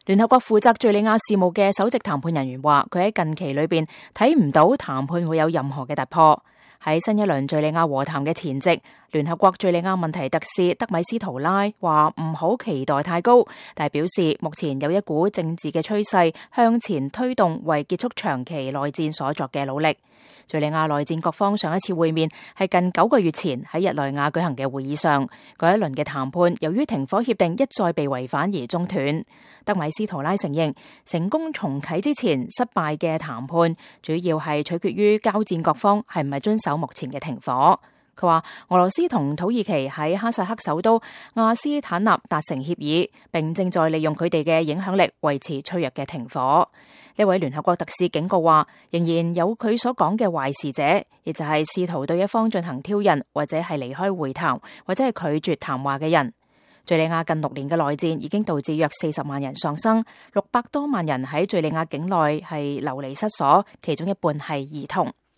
聯合國負責敘利亞事務嘅首席談判人員話，佢喺近期裏邊睇唔到談判會有任何嘅突破。喺新一輪敘利亞和談嘅前夕，聯合國敘利亞問題特使德米斯圖拉話唔好期待太高，但係表示目前有一股政治嘅趨勢向前推動，為結束長期內戰所作嘅努力。敘利亞內戰各方上一次會面係近9個月前喺日內瓦舉行嘅會議上，嗰一輪嘅談判由於停火協定一再被違反而中斷。德米斯圖拉承認，成功重啟之前失敗嘅談判主要係取決於交戰各方係唔係遵守目前嘅停火。佢話俄羅斯同土耳其喺哈薩克首都亞斯坦納達成協議，並正在利用佢哋嘅影響力維持脆弱嘅停火。呢位聯合國特使警告話，仍然有佢所講嘅壞事者，亦就係試圖對一方進行挑釁，或者係離開會談，或者係拒絕談話嘅人。敘利亞近6年嘅內戰已經導致約40萬人喪生，600多萬人喺敘利亞境內係流離失所，其中一半係兒童。